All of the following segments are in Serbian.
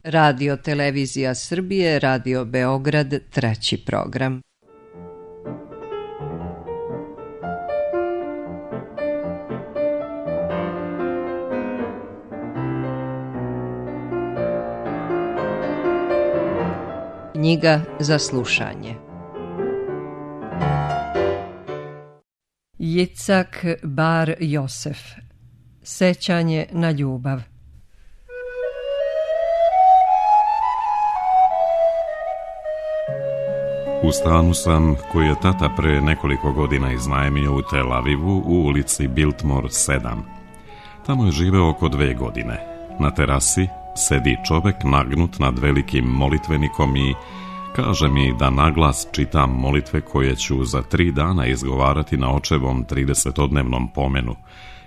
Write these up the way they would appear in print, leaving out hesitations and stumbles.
Radio Televizija Srbije, Radio Beograd, treći program. Knjiga za slušanje. Jicak Bar Josef. Sećanje na ljubav. U stanu sam koji je tata pre nekoliko godina iznajmio u Tel Avivu u ulici Biltmore 7. Tamo je živeo oko 2 godine. Na terasi sedi čovek nagnut nad velikim molitvenikom i kaže mi da naglas čitam molitve koje ću za 3 dana izgovarati na očevom 30-dnevnom pomenu,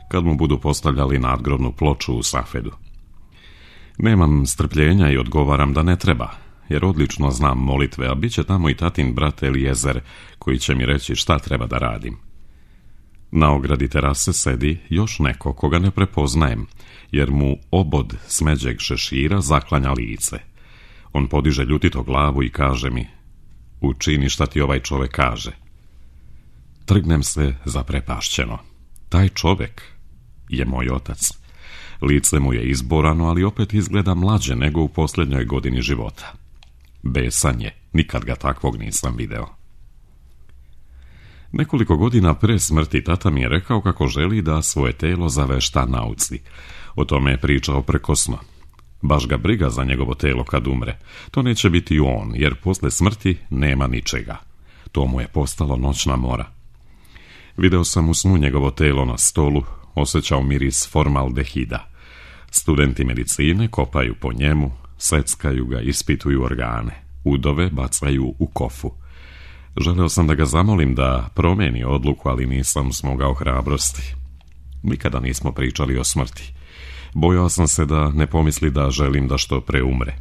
kad mu budu postavljali nadgrobnu ploču u Safedu. Nemam strpljenja i odgovaram da ne treba, jer odlično znam molitve, a bit će tamo i tatin brat Elijezer, koji će mi reći šta treba da radim. Na ogradi terase sedi još neko koga ne prepoznajem, jer mu obod smeđeg šešira zaklanja lice. On podiže ljutito glavu i kaže mi: učini šta ti ovaj čovek kaže. Trgnem se zaprepašćeno. Taj čovek je moj otac. Lice mu je izborano, ali opet izgleda mlađe nego u posljednjoj godini života. Besan je, nikad ga takvog nisam video. Nekoliko godina pre smrti tata mi je rekao kako želi da svoje telo zavešta nauci. O tome je pričao prekosno. Baš ga briga za njegovo telo kad umre. To neće biti on, jer posle smrti nema ničega. To mu je postalo noćna mora. Video sam u snu njegovo telo na stolu, osjećao miris formaldehida. Studenti medicine kopaju po njemu, seckaju ga, ispituju organe, udove bacaju u kofu. Želeo sam da ga zamolim da promeni odluku, ali nisam smogao hrabrosti. Nikada nismo pričali o smrti. Bojao sam se da ne pomisli da želim da što pre umre.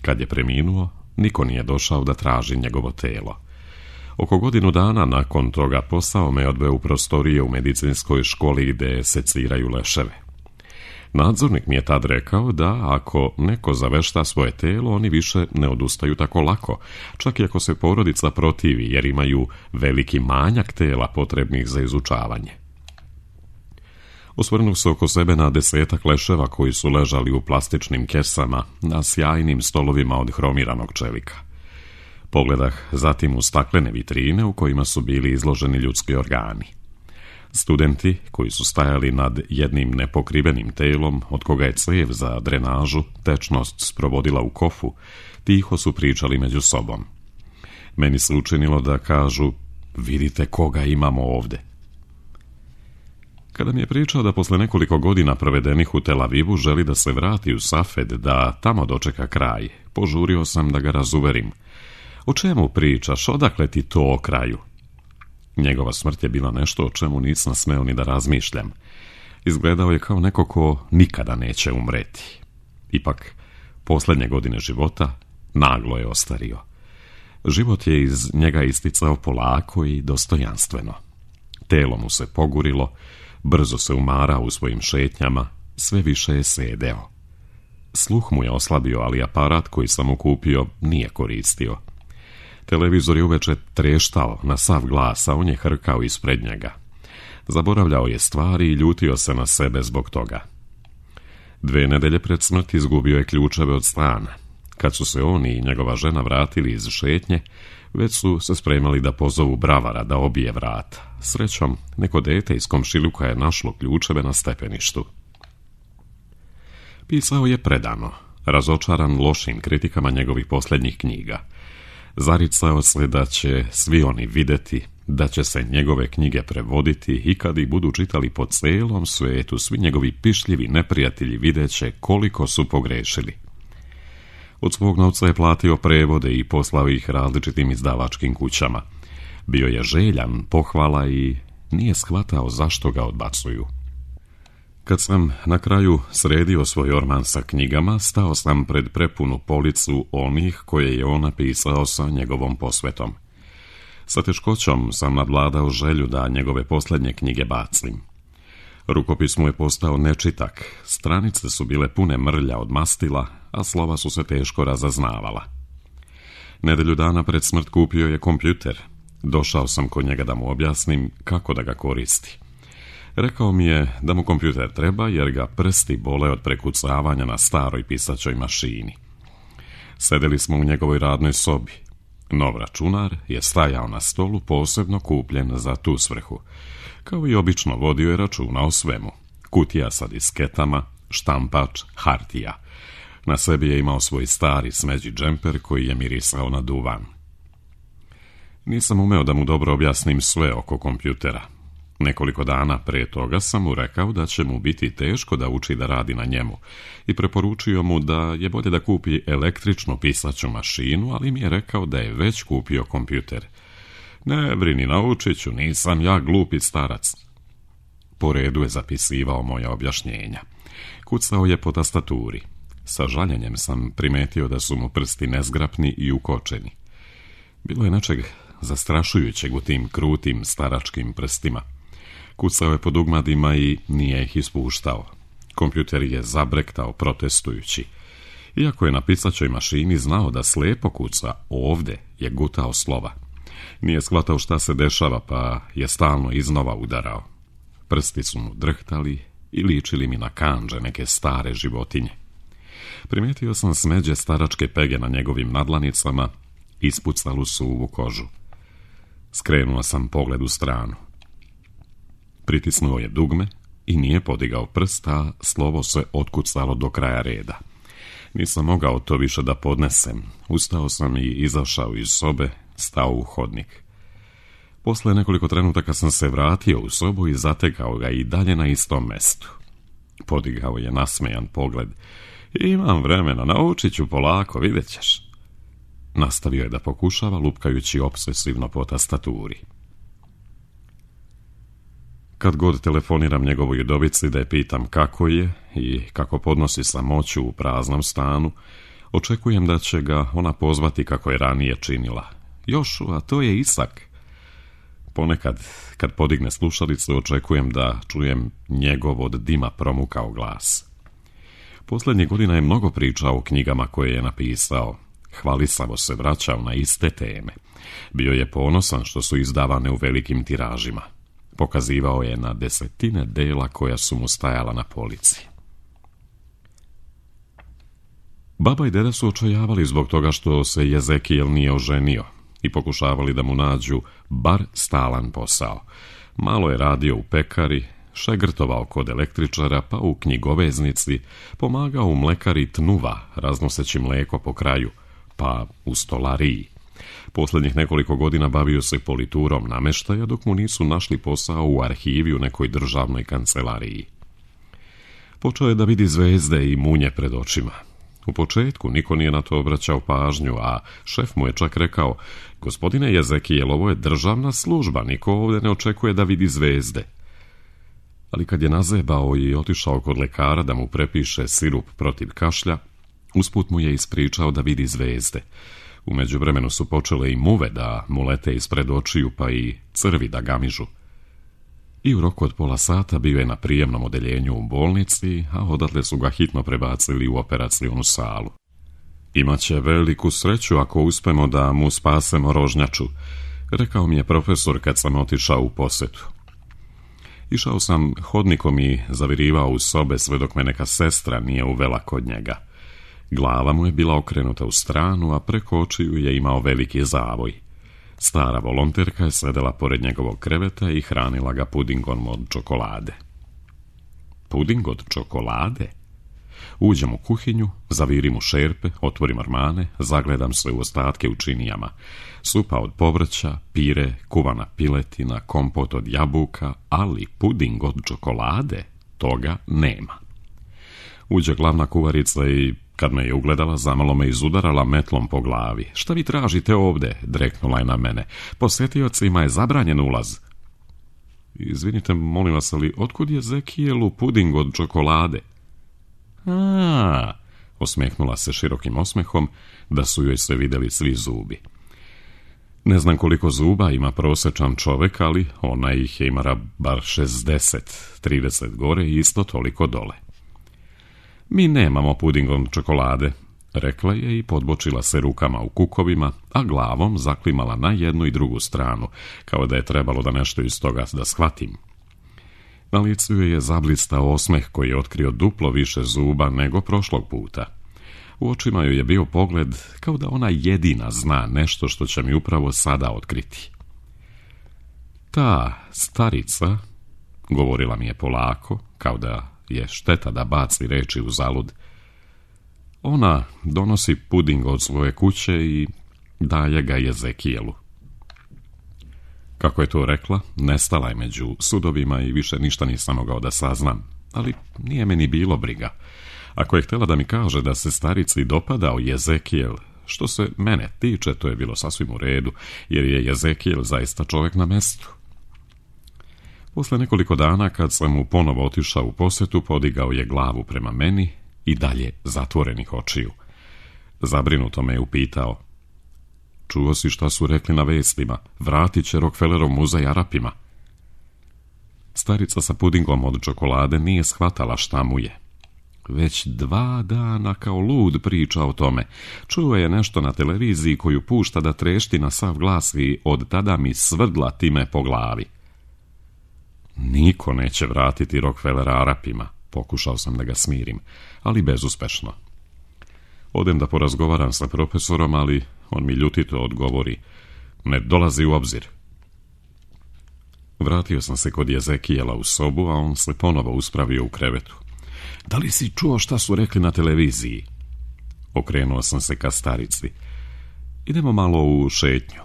Kad je preminuo, niko nije došao da traži njegovo telo. Oko godinu dana nakon toga posao me odveo u prostorije u medicinskoj školi gde seciraju leševe. Nadzornik mi je tad rekao da ako neko zavešta svoje telo, oni više ne odustaju tako lako, čak i ako se porodica protivi, jer imaju veliki manjak tela potrebnih za izučavanje. Osvrnuo se oko sebe na 10 leševa koji su ležali u plastičnim kesama na sjajnim stolovima od hromiranog čelika. Pogledah zatim u staklene vitrine u kojima su bili izloženi ljudski organi. Studenti koji su stajali nad jednim nepokrivenim telom, od koga je cev za drenažu tečnost sprovodila u kofu, tiho su pričali među sobom. Meni se učinilo da kažu: vidite koga imamo ovde. Kada mi je pričao da posle nekoliko godina provedenih u Tel Avivu želi da se vrati u Safed, da tamo dočeka kraj, požurio sam da ga razuverim. O čemu pričaš? Odakle ti to o kraju? Njegova smrt je bila nešto o čemu nisam smeo ni da razmišljam. Izgledao je kao neko ko nikada neće umreti. Ipak, posljednje godine života naglo je ostario. Život je iz njega isticao polako i dostojanstveno. Telo mu se pogurilo, brzo se umarao u svojim šetnjama, sve više je sedeo. Sluh mu je oslabio, ali aparat koji sam mu kupio nije koristio. Televizor je uveče treštao na sav glas, a on je hrkao ispred njega. Zaboravljao je stvari i ljutio se na sebe zbog toga. 2 nedelje pred smrt izgubio je ključeve od stana. Kad su se on i njegova žena vratili iz šetnje, već su se spremali da pozovu bravara da obije vrata. Srećom, neko dete iz komšiluka je našlo ključeve na stepeništu. Pisao je predano, razočaran lošim kritikama njegovih posljednjih knjiga. Zaricao se da će svi oni videti, da će se njegove knjige prevoditi i kad ih budu čitali po celom svetu, svi njegovi pišljivi neprijatelji videće koliko su pogrešili. Od svog novca je platio prevode i poslao ih različitim izdavačkim kućama. Bio je željan pohvala i nije shvatao zašto ga odbacuju. Kad sam na kraju sredio svoj orman sa knjigama, stao sam pred prepunu policu onih koje je on napisao sa njegovom posvetom. Sa teškoćom sam nadvladao želju da njegove posljednje knjige bacim. Rukopis mu je postao nečitak, stranice su bile pune mrlja od mastila, a slova su se teško razaznavala. Nedelju dana pred smrt kupio je kompjuter. Došao sam kod njega da mu objasnim kako da ga koristi. Rekao mi je da mu kompjuter treba jer ga prsti bole od prekucavanja na staroj pisaćoj mašini. Sedeli smo u njegovoj radnoj sobi. Nov računar je stajao na stolu posebno kupljen za tu svrhu. Kao i obično vodio je računa o svemu. Kutija sa disketama, štampač, hartija. Na sebi je imao svoj stari smeđi džemper koji je mirisao na duvan. Nisam umeo da mu dobro objasnim sve oko kompjutera. Nekoliko dana pre toga sam mu rekao da će mu biti teško da uči da radi na njemu i preporučio mu da je bolje da kupi električnu pisaću mašinu, ali mi je rekao da je već kupio kompjuter. Ne brini, naučit ću, nisam ja glupi starac. Po redu je zapisivao moja objašnjenja. Kucao je po tastaturi. Sa žaljenjem sam primetio da su mu prsti nezgrapni i ukočeni. Bilo je nečeg zastrašujućeg u tim krutim staračkim prstima. Kucao je po dugmadima i nije ih ispuštao. Kompjuter je zabrektao protestujući. Iako je na pisaćoj mašini znao da slepo kuca, ovde je gutao slova. Nije shvatao šta se dešava, pa je stalno iznova udarao. Prsti su mu drhtali i ličili mi na kandže neke stare životinje. Primetio sam smeđe staračke pege na njegovim nadlanicama, ispucalu suvu kožu. Skrenuo sam pogled u stranu. Pritisnuo je dugme i nije podigao prst, a slovo se otkucalo do kraja reda. Nisam mogao to više da podnesem. Ustao sam i izašao iz sobe, stao u hodnik. Posle nekoliko trenutaka sam se vratio u sobu i zatekao ga i dalje na istom mestu. Podigao je nasmejan pogled. Imam vremena, naučit ću polako, vidjet ćeš. Nastavio je da pokušava, lupkajući opsesivno po tastaturi. Kad god telefoniram njegovoj udovici da je pitam kako je i kako podnosi samoću u praznom stanu, očekujem da će ga ona pozvati kako je ranije činila. Jošua, to je Isak. Ponekad, kad podigne slušalicu, očekujem da čujem njegov od dima promukao glas. Posljednjih godina je mnogo pričao o knjigama koje je napisao. Hvalisavo se vraćao na iste teme. Bio je ponosan što su izdavane u velikim tiražima. Pokazivao je na desetine dela koja su mu stajala na polici. Baba i deda su očajavali zbog toga što se Jezekijel nije oženio i pokušavali da mu nađu bar stalan posao. Malo je radio u pekari, šegrtovao kod električara, pa u knjigoveznici, pomagao u mlekari Tnuva, raznoseći mleko po kraju, pa u stolariji. Posljednjih nekoliko godina bavio se politurom nameštaja, dok mu nisu našli posao u arhivi u nekoj državnoj kancelariji. Počeo je da vidi zvezde i munje pred očima. U početku niko nije na to obraćao pažnju, a šef mu je čak rekao: gospodine Jezekijel, ovo je državna služba, niko ovdje ne očekuje da vidi zvezde. Ali kad je nazebao i otišao kod lekara da mu prepiše sirup protiv kašlja, usput mu je ispričao da vidi zvezde. U međuvremenu su počele i muve da mu lete ispred očiju, pa i crvi da gamižu. I u roku od pola sata bio je na prijemnom odeljenju u bolnici, a odatle su ga hitno prebacili u operacionu salu. Imaće veliku sreću ako uspemo da mu spasemo rožnjaču, rekao mi je profesor kad sam otišao u posetu. Išao sam hodnikom i zavirivao u sobe sve dok me neka sestra nije uvela kod njega. Glava mu je bila okrenuta u stranu, a preko očiju je imao veliki zavoj. Stara volonterka je sedela pored njegovog kreveta i hranila ga pudingom od čokolade. Puding od čokolade? Uđem u kuhinju, zavirim u šerpe, otvorim ormane, zagledam se u ostatke u činijama. Supa od povrća, pire, kuvana piletina, kompot od jabuka, ali puding od čokolade, toga nema. Uđe glavna kuvarica i kad me je ugledala, zamalo me izudarala metlom po glavi. Šta vi tražite ovde? Dreknula je na mene. Posjetiocima je zabranjen ulaz. Izvinite, molim vas, ali otkud je Jezekijelu puding od čokolade? Osmehnula se širokim osmehom, da su joj se vidjeli svi zubi. Ne znam koliko zuba ima prosječan čovjek, ali ona ih je imala bar 60, 30 gore i isto toliko dole. Mi nemamo puding od čokolade, rekla je i podbočila se rukama u kukovima, a glavom zaklimala na jednu i drugu stranu, kao da je trebalo da nešto iz toga da shvatim. Na licu je zablistao osmeh koji je otkrio duplo više zuba nego prošlog puta. U očima joj je bio pogled kao da ona jedina zna nešto što će mi upravo sada otkriti. Ta starica, govorila mi je polako, kao da je šteta da baci reči u zalud, ona donosi puding od svoje kuće i daje ga Jezekijelu. Kako je to rekla, nestala je među sudovima i više ništa nisam mogao da saznam, ali nije meni bilo briga. Ako je htjela da mi kaže da se starici dopadao Jezekijel, što se mene tiče, to je bilo sasvim u redu, jer je Jezekijel zaista čovjek na mestu. Posle nekoliko dana, kad sam mu ponovo otišao u posjetu, podigao je glavu prema meni i dalje zatvorenih očiju. Zabrinuto me je upitao: čuo si šta su rekli na vestima, vratit će Rockefellerov muzej Arapima? Starica sa pudingom od čokolade nije shvatala šta mu je. Već 2 dana kao lud priča o tome. Čuo je nešto na televiziji koju pušta da trešti na sav glas i od tada mi svrdla time po glavi. Niko neće vratiti Rockefellera Arapima, pokušao sam da ga smirim, ali bezuspešno. Odem da porazgovaram sa profesorom, ali on mi ljutito odgovori: ne dolazi u obzir. Vratio sam se kod Jezekijela u sobu, a on se ponovo uspravio u krevetu. Da li si čuo šta su rekli na televiziji? Okrenuo sam se ka starici. Idemo malo u šetnju.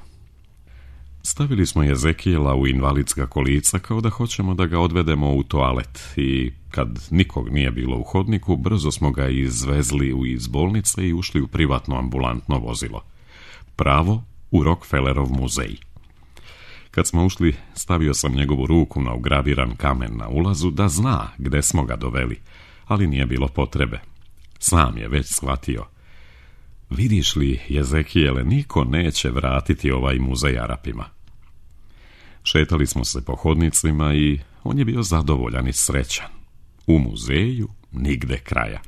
Stavili smo Jezekijela u invalidska kolica kao da hoćemo da ga odvedemo u toalet i kad nikog nije bilo u hodniku, brzo smo ga izvezli iz bolnice i ušli u privatno ambulantno vozilo. Pravo u Rockefellerov muzej. Kad smo ušli, stavio sam njegovu ruku na ugraviran kamen na ulazu da zna gde smo ga doveli, ali nije bilo potrebe. Sam je već shvatio. Vidiš li, Jezekijele, niko neće vratiti ovaj muzej Arapima. Šetali smo se po hodnicima i on je bio zadovoljan i srećan. U muzeju nigde kraja.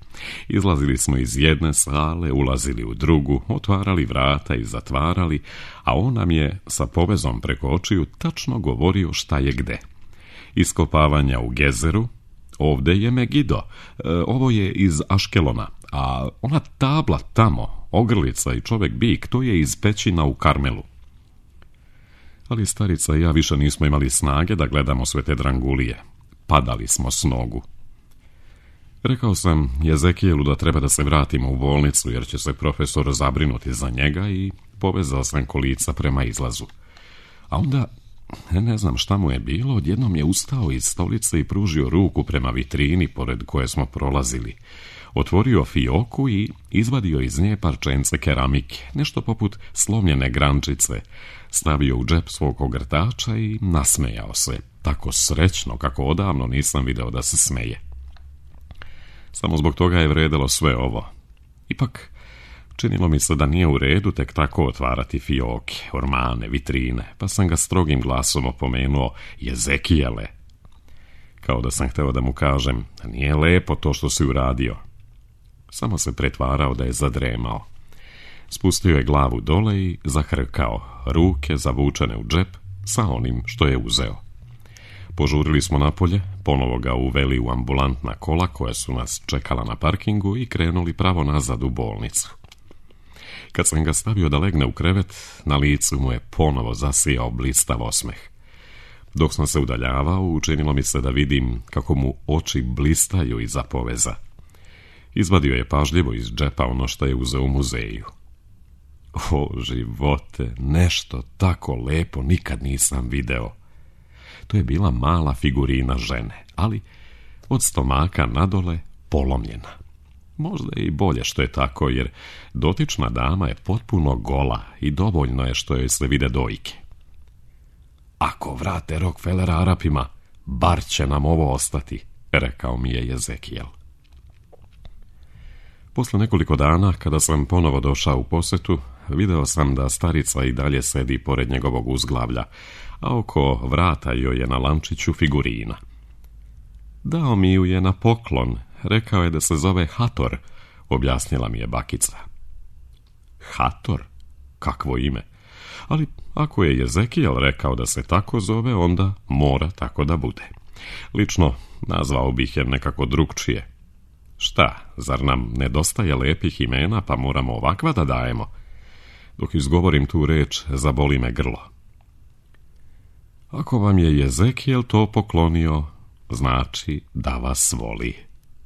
Izlazili smo iz jedne sale, ulazili u drugu, otvarali vrata i zatvarali, a on nam je sa povezom preko očiju tačno govorio šta je gde. Iskopavanja u Gezeru, ovde je Megido, ovo je iz Aškelona, a ona tabla tamo, ogrlica i čovek bik, to je iz pećina u Karmelu. Ali starica i ja više nismo imali snage da gledamo sve te drangulije. Padali smo s nogu. Rekao sam Jezekijelu da treba da se vratimo u bolnicu jer će se profesor zabrinuti za njega i povezao sam kolica prema izlazu. A onda, ne znam šta mu je bilo, odjednom je ustao iz stolice i pružio ruku prema vitrini pored koje smo prolazili. Otvorio fioku i izvadio iz nje parčence keramike, nešto poput slomljene grančice, stavio u džep svog ogrtača i nasmejao se, tako srećno kako odavno nisam video da se smeje. Samo zbog toga je vredelo sve ovo. Ipak, činilo mi se da nije u redu tek tako otvarati fioke, ormane, vitrine, pa sam ga strogim glasom opomenuo: Jezekijele. Kao da sam hteo da mu kažem: nije lepo to što si uradio. Samo se pretvarao da je zadremao. Spustio je glavu dole i zahrkao, ruke zavučene u džep sa onim što je uzeo. Požurili smo napolje, ponovo ga uveli u ambulantna kola koja su nas čekala na parkingu i krenuli pravo nazad u bolnicu. Kad sam ga stavio da legne u krevet, na licu mu je ponovo zasijao blistav osmeh. Dok sam se udaljavao, učinilo mi se da vidim kako mu oči blistaju iza poveza. Izvadio je pažljivo iz džepa ono što je uzeo u muzeju. O, živote, nešto tako lepo nikad nisam video. To je bila mala figurina žene, ali od stomaka nadole polomljena. Možda je i bolje što je tako, jer dotična dama je potpuno gola i dovoljno je što joj se vide dojke. Ako vrate Rockefellera Arapima, bar će nam ovo ostati, rekao mi je Jezekijel. Posle nekoliko dana, kada sam ponovo došao u posetu, video sam da starica i dalje sedi pored njegovog uzglavlja, a oko vrata joj je na lančiću figurina. Dao mi ju je na poklon, rekao je da se zove Hator, objasnila mi je bakica. Hator? Kakvo ime? Ali ako je Jezekijel rekao da se tako zove, onda mora tako da bude. Lično nazvao bih je nekako drugčije. Šta, zar nam nedostaje lepih imena pa moramo ovakva da dajemo? Dok izgovorim tu reč, zaboli me grlo. Ako vam je Jezekijel to poklonio, znači da vas voli,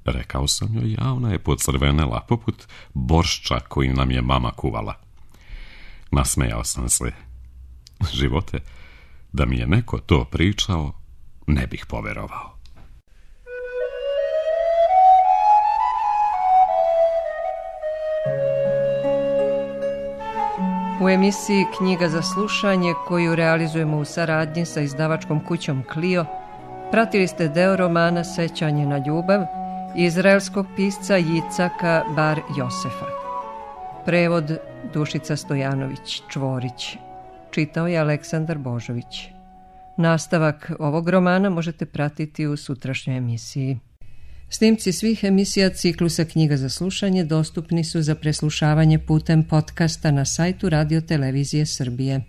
rekao sam joj, a ona je pocrvenela poput boršča koji nam je mama kuvala. Nasmejao sam se. Živote, da mi je neko to pričao, ne bih poverovao. U emisiji Knjiga za slušanje, koju realizujemo u saradnji sa izdavačkom kućom Clio, pratili ste deo romana Sećanje na ljubav izraelskog pisca Jicaka Bar Josefa. Prevod Dušica Stojanović Čvorić. Čitao je Aleksandar Božović. Nastavak ovog romana možete pratiti u sutrašnjoj emisiji. Snimci svih emisija ciklusa Knjiga za slušanje dostupni su za preslušavanje putem podcasta na sajtu Radio Televizije Srbije.